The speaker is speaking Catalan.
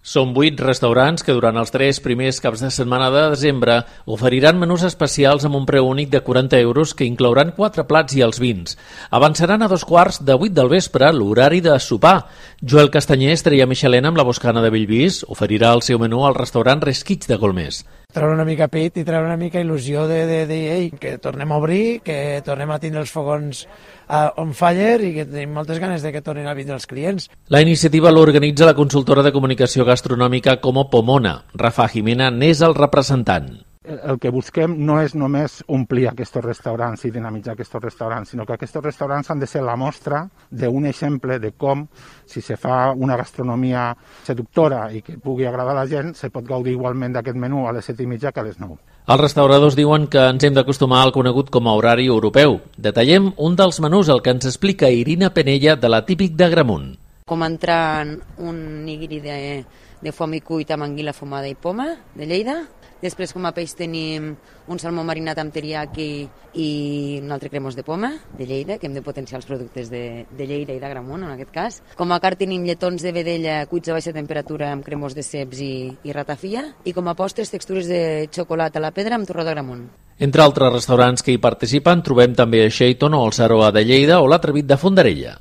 Són 8 restaurants que durant els 3 primers caps de setmana de desembre oferiran menús especials amb un preu únic de 40 euros que inclouran 4 plats i els vins. Avançaran a 2:15 del vespre l'horari de sopar. Joel Castanyer, estrella Michelin amb la Boscana de Bellvís, oferirà el seu menú al restaurant Resquits de Golmés. Treure una mica pit i treure una mica il·lusió de dir que tornem a obrir, que tornem a tindre els fogons on fire i que tenim moltes ganes de que tornin a vindre els clients. La iniciativa l'organitza la consultora de comunicació gastronòmica Como Pomona. Rafa Jimena n'és el representant. El que busquem no és només omplir aquests restaurants i dinamitzar aquests restaurants, sinó que aquests restaurants han de ser la mostra d'un exemple de com, si se fa una gastronomia seductora i que pugui agradar a la gent, se pot gaudir igualment d'aquest menú a les 7:30 que a les 9. Els restauradors diuen que ens hem d'acostumar al conegut com a horari europeu. Detallem un dels menús, el que ens explica Irina Penella, de la Típic d'Agramunt. Com entrar en un nigiri de foam i cuit amb anguila fumada i poma, de Lleida. Després, com a peix, tenim un salmó marinat amb teriyaki i un altre cremós de poma, de Lleida, que hem de potenciar els productes de Lleida i d'Agramunt, en aquest cas. Com a carn tenim lletons de vedella cuits a baixa temperatura amb cremós de ceps i ratafia. I com a postres, textures de xocolata a la pedra amb torró d'Agramunt. Entre altres restaurants que hi participen trobem també a Shaiton o el Saroa de Lleida o l'Atrevit de Fondarella.